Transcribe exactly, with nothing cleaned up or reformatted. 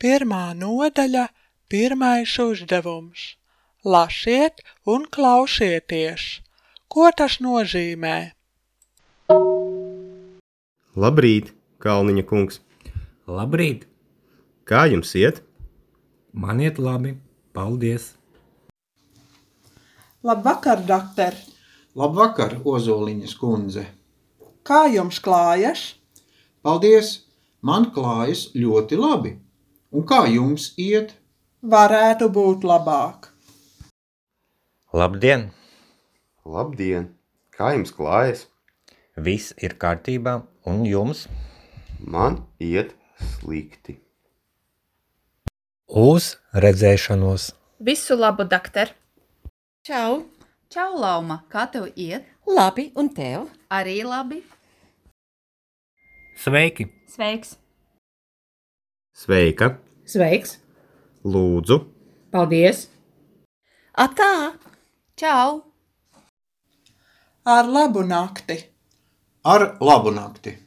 Pirmā nodaļa, pirmais uzdevums. Lasiet un klausieties. Ko tas nozīmē? Labrīt, Kalniņa kungs. Labrīt! Kā jums iet? Man iet labi, paldies! Labvakar, doktor! Labvakar, Ozoliņas kundze! Kā jums klājas? Paldies! Man klājas ļoti labi. Un kā jums iet? Varētu būt labāk. Labdien! Labdien! Kā jums klājas? Viss ir kārtībā, un jums? Man iet slikti. Uz redzēšanos! Visu labu, doktor! Čau! Čau, Lauma! Kā tev iet? Labi, un tev? Arī labi. Sveiki! Sveiks! Sveika! Sveiks! Lūdzu! Paldies! Atā! Čau! Ar labu nakti! Ar labu nakti!